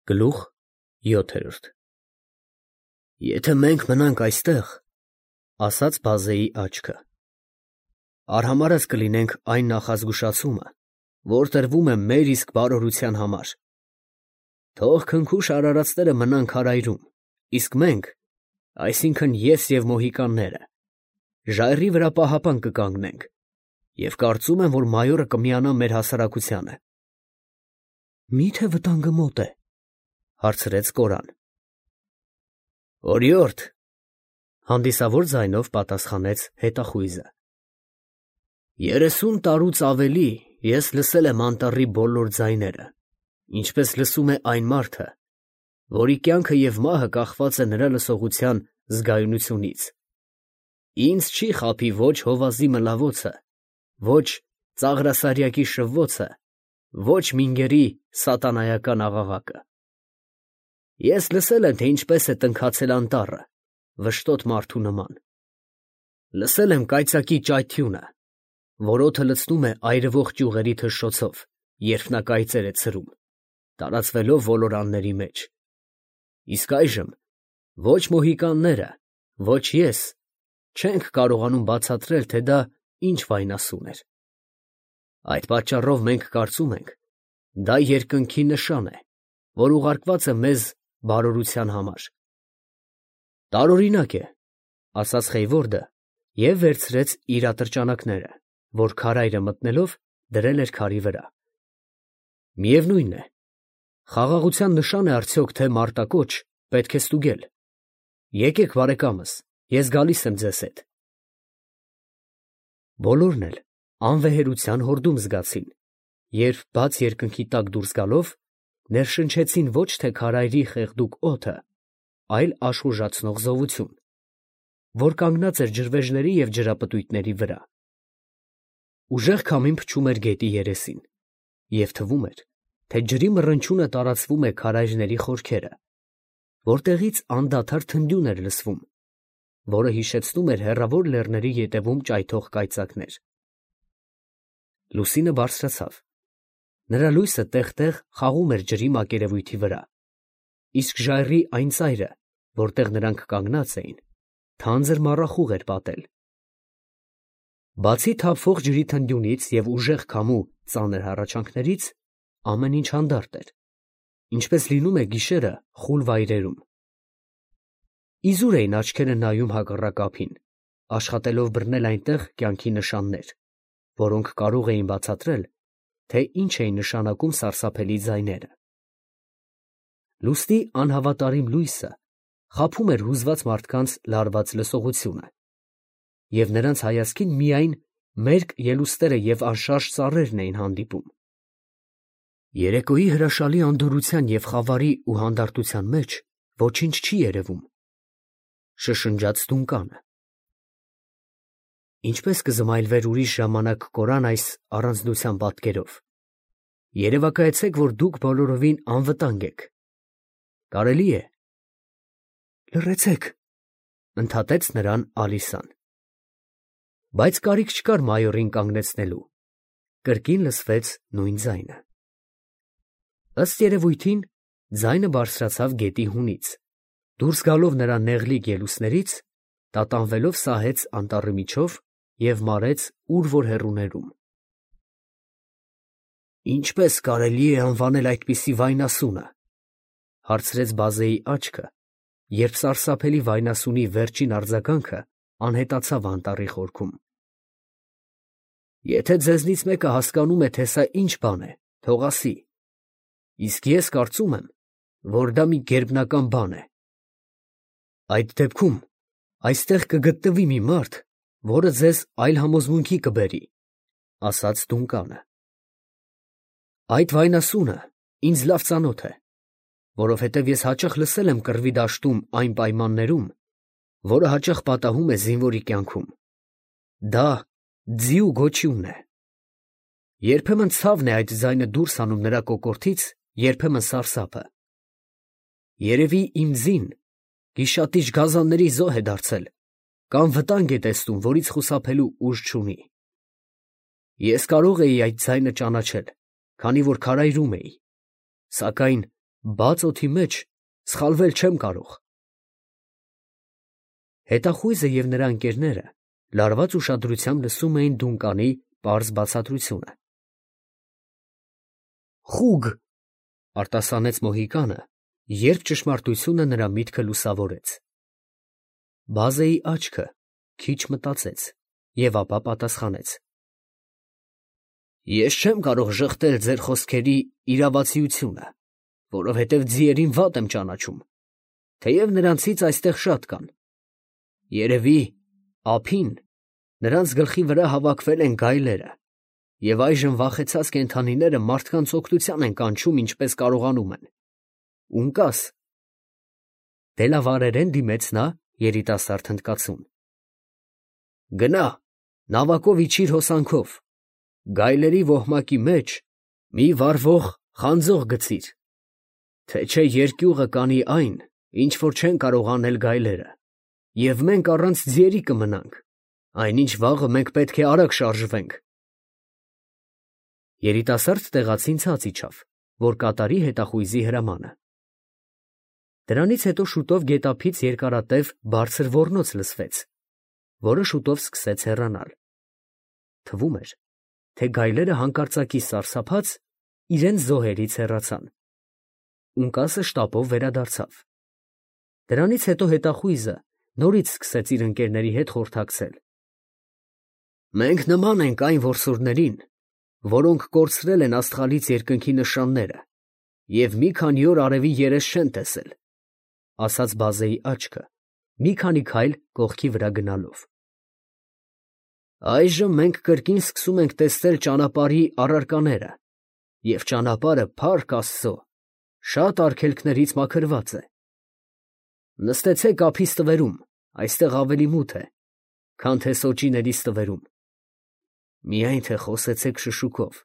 Գլուխ 7 Եթե մենք մնանք այստեղ, ասաց բազեի աչքը, արհամարհած կլինենք այն նախազգուշացումը, որ տրվում է մեր իսկ բարօրության համար. թող քնքուշ արարածները մնան քարայրում, իսկ մենք, այսինքն ես և մոհիկանները, ժայռի վրա պահապան կկանգնենք, և կարծում եմ, որ մայորը կմիանա մեր հասարակությանը։ Մի՞թե վտանգը մոտ է, հարցրեց Կորան։ Օրիորդ, հանդիսավոր ձայնով պատասխանեց հետախույզը։ 30 տարուց ավելի ես լսել եմ անտառի բոլոր ձայները, ինչպես լսում է այն մարդը, որի կյանքը և մահը կախված է նրա լսողության զգայունությունից։ Ինձ չի խաբի ոչ հովազի մլավոցը, ոչ ծաղրասարյակի շվվոցը, ոչ մինգերի սատանայական աղաղակը։ Ես լսել եմ, թե ինչպես է տնքացել անտառը, վշտոտ մարդու նման։ Լսել եմ կայծակի ճայթյունը, որ օդը լցնում է այրվող ճյուղերի թշշոցով, երբ նա կայծեր է ցրում, տարածվելով ոլորանների մեջ։ Իսկ այժմ ոչ մոհիկանները, ոչ ես չենք կարողանում բացատրել, թե դա ինչ վայնասուն էր։ Այդ պատճառով մենք կարծում ենք, դա երկնքի նշան է, որ ուղարկված է մեզ բարօրության համար։ Տարօրինակ է, ասաց Խեյվորդը և վերցրեց իր ատրճանակները, որ քարայրը մտնելով դրել էր քարի վրա։ Միևնույն է, խաղաղության նշան է արդյոք, թե մարտակոչ պետք է ստուգել։ Եկեք, բարեկամս, ես գալիս եմ ձեզ հետ։ Բոլորն էլ անվեհերության հորդում զգացին, երբ բաց երկնքի տակ դուրս գալով, ներշնչեցին ոչ թե քարայրի խեղդուկ օդը, այլ աշխուժացնող զովություն, որ կանգնած էր ջրվեժների և ջրապտույտների վրա։ Ուժեղ քամին փչում էր գետի երեսին, և թվում էր, թե ջրի մռնչյունը տարածվում է քարայրների խորքերը, որտեղից անդադար թնդյուն էր լսվում, որը հիշեցնում էր հեռավոր լեռների ետևում ճայթող կայծակներ։ Լուսինը բարձրացավ, նրա լույսը տեղ֊տեղ խաղում էր ջրի մակերևույթի վրա, իսկ ժայռի այն ծայրը, որտեղ նրանք կանգնած էին, թանձր մառախուղ էր պատել։ Բացի թափվող ջրի թնդյունից և ուժեղ քամու ծանր հառաչանքներից, ամեն ինչ հանդարտ էր, ինչպես լինում է գիշերը խուլ վայրերում։ Իզուր էին աչքերը նայում հակառակ ափին, աշխատելով բռնել այնտեղ կյանքի նշաններ, որոնք կարող էին բացատրել, թե ինչ էին նշանակում սարսափելի ձայները։ Լուսնի անհավատարիմ լույսը խաբում էր հուզված մարդկանց լարված լսողությունը, և նրանց հայացքին միայն մերկ ելուստերը և անշարժ ծառերն էին հանդիպում։ Երեկոյի հրաշալի անդորրության և խավարի ու հանդարտության մեջ ոչինչ չի երևում, շշնջաց Դունկանը։ Ինչպես կզմայլվեր ուրիշ ժամանակ Կորան այս առանձնության պատկերով, երևակայեցեք, որ դուք բոլորովին անվտանգ եք։ Կարելի է։ Լռեցեք, ընդհատեց նրան Ալիսան։ Բայց կարիք չկար մայորին կանգնեցնելու, կրկին լսվեց նույն ձայնը։ Ըստ երևույթին, ձայնը բարձրացավ գետի հունից, դուրս գալով նրա նեղլիկ ելուստներից, տատանվելով սահեց անտառի միջով և մարեց ուր որ հեռուներում։ Ինչպե՞ս կարելի է անվանել այդպիսի վայնասունը, հարցրեց բազեի աչքը, երբ սարսափելի վայնասունի վերջին արձագանքը անհետացավ անտառի խորքում։ Եթե ձեզնից մեկը հասկանում է, թե սա ինչ բան է, թող ասի, իսկ ես կարծում եմ, որ դա մի գերբնական բան է։ Այդ դեպքում այստեղ կգտնվի մի մարդ, որը ձեզ այլ համոզմունքի կբերի, ասաց Դունկանը։ Այդ վայնասունը ինձ լավ ծանոթ է, որովհետև ես հաճախ լսել եմ կռվի դաշտում այն պայմաններում, որը հաճախ պատահում է զինվորի կյանքում։ Դա ձիու գոչյունն է։ Երբեմն ցավն է այդ ձայնը դուրս հանում նրա կոկորդից, երբեմն սարսափը։ Երևի իմ ձին գիշատիչ գազանների զոհ է դարձել կամ վտանգ է տեսնում, որից խուսափելու ուժ չունի։ Ես կարող էի այդ ձայնը ճանաչել, քանի որ քարայրում էի, սակայն Բաց օդի մեջ սխալվել չեմ կարող։ Հետախույզը և նրա ընկերները լարված ուշադրությամբ լսում էին Դունկանի պարզ բացատրությունը։ «Խուգ», արտասանեց Մոհիկանը, երբ ճշմարտությունը նրա միտքը լուսավորեց։ Բազեի աչքը քիչ մտածեց և ապա պատասխանեց. «Ես չեմ կարող ժխտել ձեր խոսքերի իրավացիությունը, որովհետև ձիերին վատ եմ ճանաչում, թեև նրանցից այստեղ շատ կան։ Երևի ափին նրանց գլխի վրա հավաքվել են գայլերը, և այժմ վախեցած կենդանիները մարդկանց օգնության են կանչում, ինչպես կարողանում են։ Ունկաս»։ Դելավարերեն դիմեց նա երիտասարդ հնդկացուն։ «Գնա, նավակով իջիր հոսանքով, գայլերի ոհմակի մեջ մի վառվող խանձող գցիր, թե չէ երկյուղը կանի այն, ինչ որ չեն կարող անել գայլերը, և մենք առանց ձիերի կմնանք, այնինչ վաղը մենք պետք է արագ շարժվենք»։ Երիտասարդ տեղացին ցած իջավ, որ կատարի հետախույզի հրամանը։ Դրանից հետո շուտով գետափից երկարատև բարձր ոռնոց լսվեց, որը շուտով սկսեց հեռանալ։ Թվում էր, թե գայլերը հանկարծակի սարսափած իրենց զոհերից հեռացան։ Ունկասը շտապով վերադարձավ։ Դրանից հետո հետախույզը նորից սկսեց իր ընկերների հետ խորհրդակցել։ «Մենք նման ենք այն որսորդներին, որոնք կորցրել են աստղալից երկնքի նշանները և մի քանի օր արևի երես չեն տեսել», ասաց Բազեի աչքը, մի քանի քայլ կողքի վրա գնալով։ «Այժմ մենք կրկին սկսում ենք տեսնել ճանապարհի առարկաները, և ճանապարհը, փառք Աստծո, շատ արգելքներից մաքրված է։ Նստեցեք ափի ստվերում, այստեղ ավելի մութ է, քան թե սոճիների ստվերում։ Միայն թե խոսեցեք շշուկով,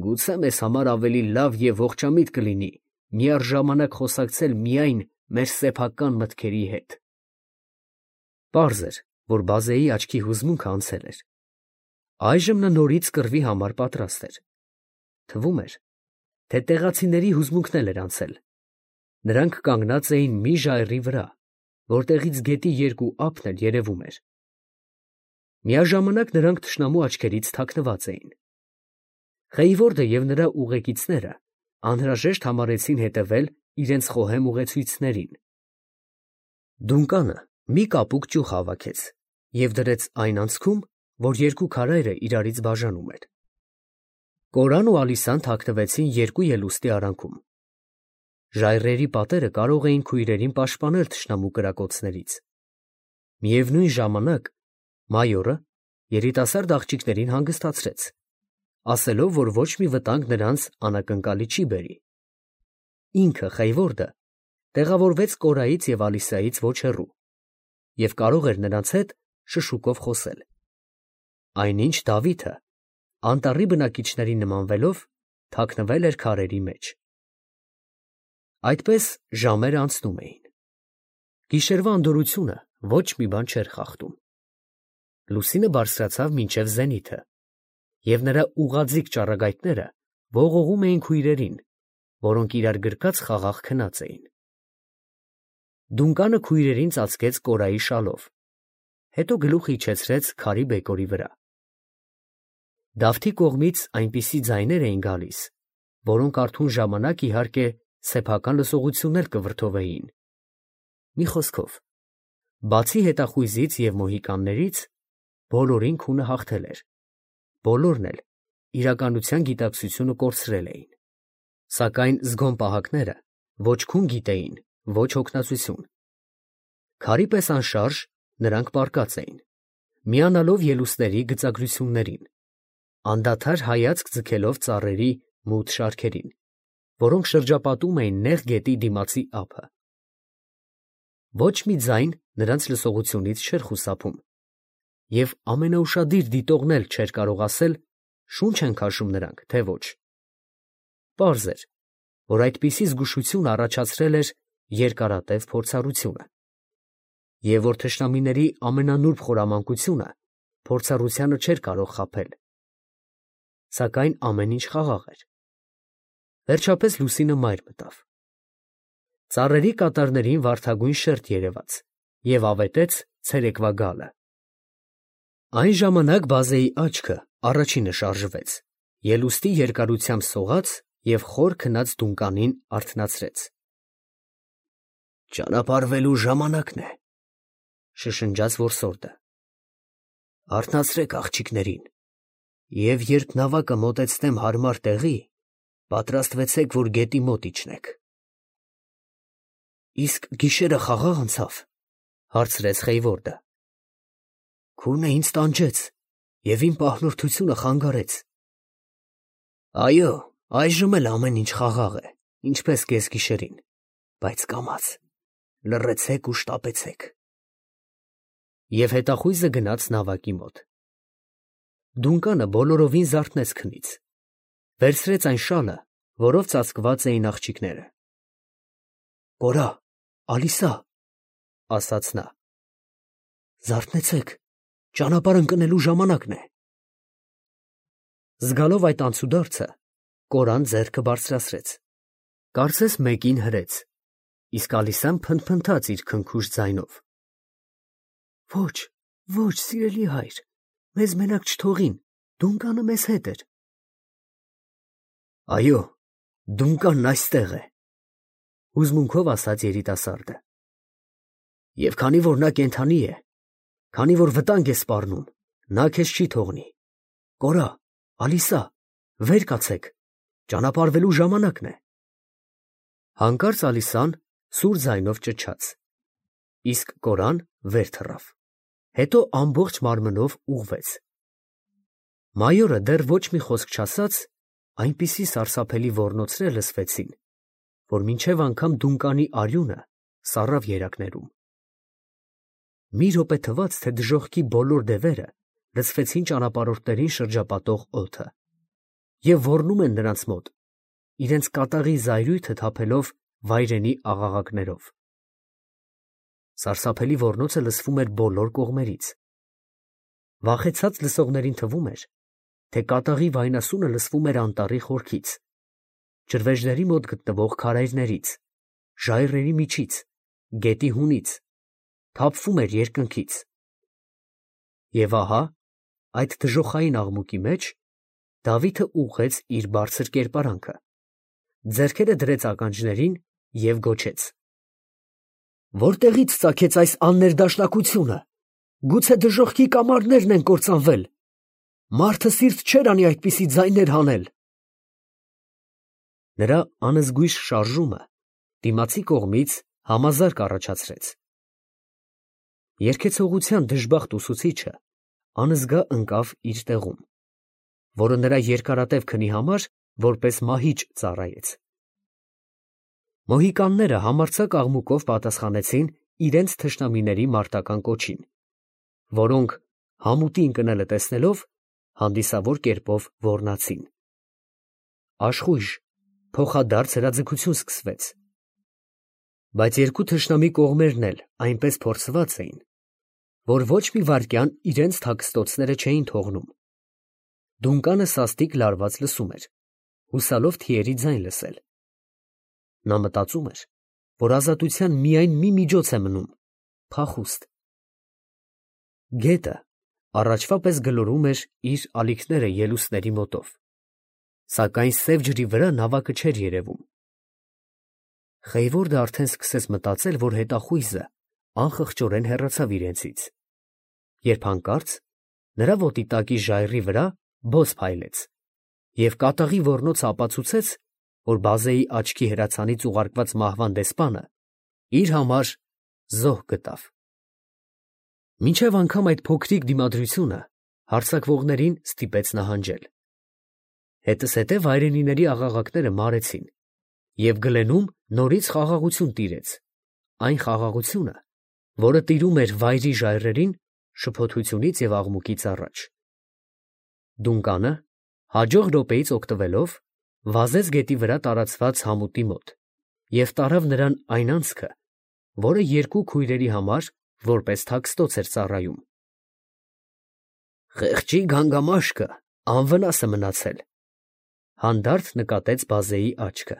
գուցե մեզ համար ավելի լավ և ողջամիտ կլինի միառժամանակ խոսակցել միայն մեր սեփական մտքերի հետ»։ Պարզ էր, որ Բազեի աչքի հուզմունքը անցել էր։ Այժմ նա նորից կռվի համար պատրաստ էր։ Թվում էր, թե տեղացիների հուզմունքն էլ էր անցել։ Նրանք կանգնած էին մի ժայռի վրա, որտեղից գետի երկու ափն էլ երևում էր։ Միաժամանակ նրանք թշնամու աչքերից թաքնված էին։ Խեյվորդը և նրա ուղեկիցները անհրաժեշտ համարեցին հետևել իրենց խոհեմ ուղեցույցներին։ Դունկանը մի կապուկ ճյուղ հավաքեց և դրեց այն անցքում, որ երկու քարայրը իրարից բաժանում էր։ Կորան ու Ալիսան թաքնվեցին երկու ելուստի արանքում։ Ժայռերի պատերը կարող էին քույրերին պաշտպանել թշնամու կրակոցներից։ Միևնույն ժամանակ մայորը երիտասարդ աղջիկներին հանգստացրեց, ասելով, որ ոչ մի վտանգ նրանց անակնկալի չի բերի։ Ինքը Խեյվորդը տեղավորվեց Կորայից և Ալիսայից ոչ հեռու և կարող էր նրանց հետ շշուկով խոսել։ Այնինչ Դավիթը, անտառի բնակիչներին նմանվելով, թաքնվել էր քարերի մեջ։ Այդպես ժամերը անցնում էին։ Գիշերվա անդորրությունը ոչ մի բան չէր խախտում։ Լուսինը բարձրացավ մինչև զենիթը, և նրա ուղղաձիգ ճառագայթները ողողում էին քույրերին, որոնք իրար գրկած խաղաղ քնած էին։ Դունկանը քույրերին ծածկեց Կորայի շալով, հետո գլուխը իջեցրեց քարի բեկորի վրա։ Դավթի կողմից այնպիսի ձայներ էին գալիս, որոնք արթուն ժամանակ, իհարկե, սեփական լսողություններ կվրդովեին։ Մի խոսքով, բացի հետախույզից և մոհիկաններից, բոլորին քունը հաղթել էր, բոլորն էլ իրականության գիտակցությունը կորցրել էին։ Սակայն զգոն պահակները ոչ քուն գիտեին, ոչ հոգնածություն։ Քարի պես անշարժ նրանք պառկած էին, միանալով ելուստների գծագրություններին, անդադար հայացք ձգելով ծառերի մութ շարքերին, որոնք շրջապատում էին նեղ գետի դիմացի ափը։ Ոչ մի ձայն նրանց լսողությունից չէր խուսափում, և ամենաուշադիր դիտողն էլ չէր կարող ասել շունչ են քաշում նրանք, թե ոչ։ Պարզ էր, որ այդպիսի զգուշություն առաջացրել էր երկարատև փորձառությունը, և որ թշնամիների ամենանուրբ խորամանկությունը փորձառությանը չէր կարող խաբել։ Սակայն ամեն ինչ խաղաղ էր։ Վերջապես լուսինը մայր մտավ, Ծառերի կատարներին վարդագույն շերտ երևաց և ավետեց ցերեկվա գալը։ Այն ժամանակ բազեի աչքը առաջինը շարժվեց, ելուստի երկարությամբ սողաց և խոր քնած դունկանին արթնացրեց։ «Ճանապարհվելու ժամանակն է», շշնջաց որսորդը։ «Արթնացրեք աղջիկներին, և երբ նավակը մոտեցնեմ հարմար տեղի, պատրաստվեցեք, որ գետի մոտ իջնեք»։ «Իսկ գիշերը խաղա՞ղ անցավ», հարցրեց Խեյվորդը։ «Քունը ինձ տանջեց և իմ պահնորդությունը խանգարեց»։ «Այո, այժմ էլ ամեն ինչ խաղաղ է, ինչպես կեսգիշերին, բայց կամաց, լռեցեք ու շտապեցեք»։ Եվ հետախույզը գնաց նավակի մոտ։ Դունկանը բոլորովին զարթնեց քնից, վերցրեց այն շալը, որով ծածկված էին աղջիկները։ «Կորա, Ալիսա», ասաց նա, «զարթնեցեք, ճանապարհ ընկնելու ժամանակն է»։ Զգալով այդ անցուդարձը, Կորան ձեռքը բարձրացրեց, կարծես մեկին հրեց, իսկ Ալիսան փնթփնթաց իր քնքուշ ձայնով. «Ոչ, ոչ, սիրելի հայր, մեզ մենակ չթողին, դունկանը մեզ հետ էր»։ «Այո, դունկանն այստեղ է», հուզմունքով ասաց երիտասարդը։ «Եվ քանի որ նա կենդանի է, քանի որ վտանգ է սպառնում, նա քեզ չի թողնի։ Կորա, Ալիսա, վեր կացեք, ճանապարհվելու ժամանակն է»։ Հանկարծ Ալիսան սուր ձայնով ճչաց, իսկ Կորան վեր թռավ, հետո ամբողջ մարմնով ուղղվեց։ Մայորը դեռ ոչ մի խոսք չասաց, այնպիսի սարսափելի ոռնոցներ լսվեցին, որ մինչև անգամ դունկանի արյունը սառավ երակներում։ Մի րոպե թվաց, թե դժոխքի բոլոր դևերը լցվեցին ճանապարհորդներին շրջապատող օդը և ոռնում են նրանց մոտ, իրենց կատաղի զայրույթը թափելով վայրենի աղաղակներով։ Սարսափելի ոռնոցը լսվում էր բոլոր կողմերից։ Վախեցած լսողներին թվում էր, թե կատաղի վայնասունը լսվում էր անտառի խորքից, ջրվեժների մոտ գտնվող քարայրներից, ժայռերի միջից, գետի հունից, թափվում էր երկնքից։ Եվ ահա, այդ դժոխային աղմուկի մեջ Դավիթը ուղղեց իր բարձր կերպարանքը, ձեռքերը դրեց ականջներին և գոչեց. «Որտեղի՞ց ծագեց այս աններդաշնակությունը, գուցե դժոխքի կամարներն են կործանվել, մարդը սիրտ չէր անի այդպիսի ձայներ հանել»։ Նրա անզգույշ շարժումը դիմացի կողմից համազարկ առաջացրեց։ Երգեցողության դժբախտ ուսուցիչը անզգա ընկավ իր տեղում, որը նրա երկարատև քնի համար որպես մահիճ ծառայեց։ Մոհիկանները համարձակ աղմուկով պատասխանեցին իրենց թշնամիների մարտական կոչին, որոնք, համուտի ընկնելը տեսնելով, հանդիսավոր կերպով ոռնացին։ Աշխույժ, փոխադարձ հրաձգություն սկսվեց։ Բայց երկու թշնամի կողմերն էլ այնպես փորձված էին, որ ոչ մի վայրկյան իրենց թաքստոցները չէին թողնում։ Դունկանը սաստիկ լարված լսում էր, հուսալով թիերի ձայն լսել։ Նա մտածում էր, որ ազատության միայն մի միջոց է մնում՝ փախուստ։ Գետը առաջվա պես գլորում էր իր ալիքները ելուստների մոտով, սակայն սև ջրի վրա նավակը չէր երևում։ Խեյվորդը արդեն սկսեց մտածել, որ հետախույզը անխղճորեն հեռացավ իրենցից, երբ հանկարծ նրա ոտի տակի ժայռի վրա բոց փայլեց, և կատաղի ոռնոցը ապացուցեց, որ բազեի աչքի հրացանից ուղարկված մահվան դեսպանը իր համար զոհ գտավ։ Մինչև անգամ այդ փոքրիկ դիմադրությունը հարձակվողներին ստիպեց նահանջել։ Հետզհետե վայրենիների աղաղակները մարեցին, և Գլենում նորից խաղաղություն տիրեց, այն խաղաղությունը, որը տիրում էր վայրի ժայռերին շփոթությունից և աղմուկից առաջ։ Դունկանը, հաջող րոպեից օգտվելով, վազեց գետի վրա տարածված համուտի մոտ և տարավ նրան այն անցքը, որը երկու քույրերի համար որպես թաքստոց էր ծառայում։ «Խեղճի գանգամաշկը անվնաս է մնացել», հանդարտ նկատեց բազեի աչքը,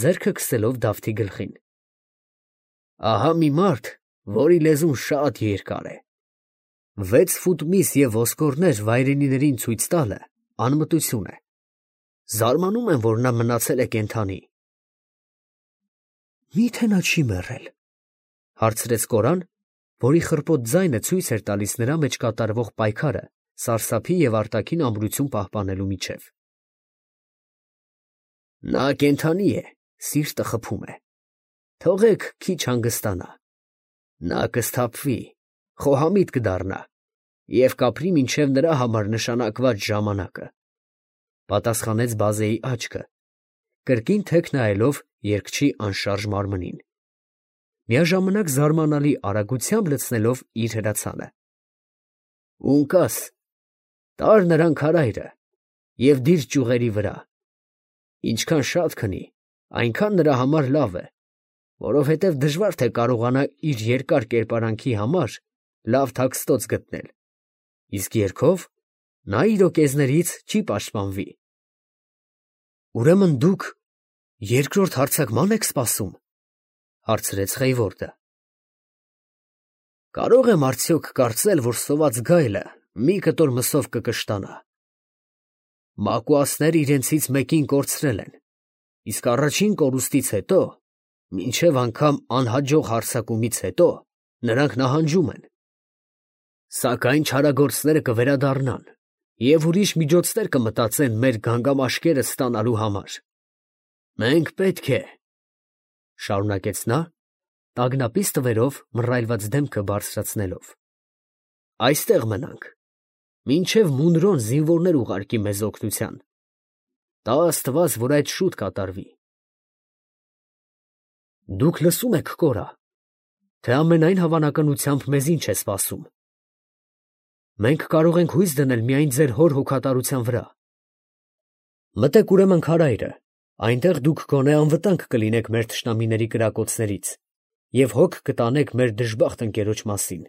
ձեռքը քսելով Դավթի գլխին։ Ահա մի մարդ, որի լեզուն շատ երկար է։ 6 ֆուտ միս և ոսկորներ վայրենիներին ցույց տալը անմտություն է։ Զարմանում եմ, որ նա մնացել է կենդանի։ Մի՞թե նա չի մեռել, հարցրեց Կորան, որի խռպոտ ձայնը ցույց էր տալիս նրա մեջ կատարվող պայքարը սարսափի և արտաքին ամրություն պահպանելու միջև։ Նա կենդանի է, սիրտը խփում է։ Թողեք քիչ հանգստանա։ Նա կսթափվի, խոհամիտ կդառնա և կապրի մինչև նրա համար նշանակված ժամանակը, պատասխանեց Բազեի աչքը, կրկին թեք նայելով երգչի անշարժ մարմնին, միաժամանակ զարմանալի արագությամբ լցնելով իր հրացանը։ Ունկաս, տար նրան քարայրը և դիր ճյուղերի վրա։ Ինչքան շատ քնի, այնքան նրա համար լավ է, որովհետև դժվար թե կարողանա իր երկար կերպարանքի համար լավ թաքստոց գտնել, իսկ երգով նա իր օկեզներից չի պաշտպանվի։ Ուրեմն դուք երկրորդ հարձակման եք սպասում, հարցրեց Խեյվորդը։ Կարող եմ արդյոք կարծել, որ սոված գայլը մի կտոր մսով կկշտանա։ Մակուասները իրենցից մեկին կորցրել են, իսկ առաջին կորուստից հետո, մինչև անգամ անհաջող հարձակումից հետո, նրանք նահանջում են։ Սակայն չարագործները կվերադառնան և ուրիշ միջոցներ կմտածեն մեր գանգամաշկերը ստանալու համար։ Մենք պետք է, շարունակեց նա, տագնապից տվերով մռայլված դեմքը բարձրացնելով, այստեղ մնանք, մինչև Մունրոն զինվորներ ուղարկի մեզ օգնության։ Տա Աստված, որ այդ շուտ կատարվի։ Դուք լսում եք, Կորա, թե ամենայն հավանականությամբ մեզ ինչ է սպասում։ Մենք կարող ենք հույս դնել միայն ձեր հոր հոգատարության վրա։ Մտեք ուրեմն քարայրը, այնտեղ դուք գոնե անվտանգ կլինեք մեր թշնամիների կրակոցներից և հոգ կտանեք մեր դժբախտ ընկերոջ մասին։